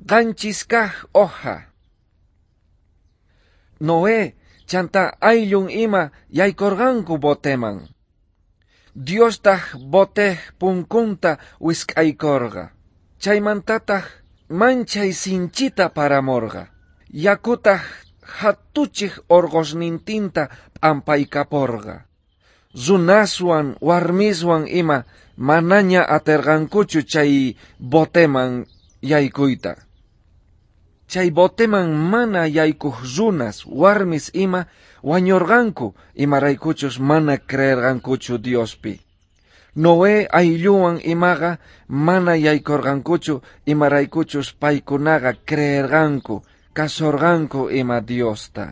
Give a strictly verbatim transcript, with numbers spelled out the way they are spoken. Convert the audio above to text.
Qanchis kaj hoja. Noé chanta ayllun ima yaykorqanku boteman. Diostaj botej punkunta wisk'aykorqa. Chaymantataj manchay sinchita paramorqa. Yakutaj jatuchej orqosnintinta p'ampaykaporqa. Runaswan warmiswan ima manaña aterqankuchu chay boteman yaykuyta. Chay boteman mana yaykuj runas, warmis ima wañorqanku imaraykuchus mana creerqankuchu Diospi. Noé aylluwan imaqa mana yaykorqankuchu imaraykuchus paykunaqa creerqanku, kasorqanku ima Diosta.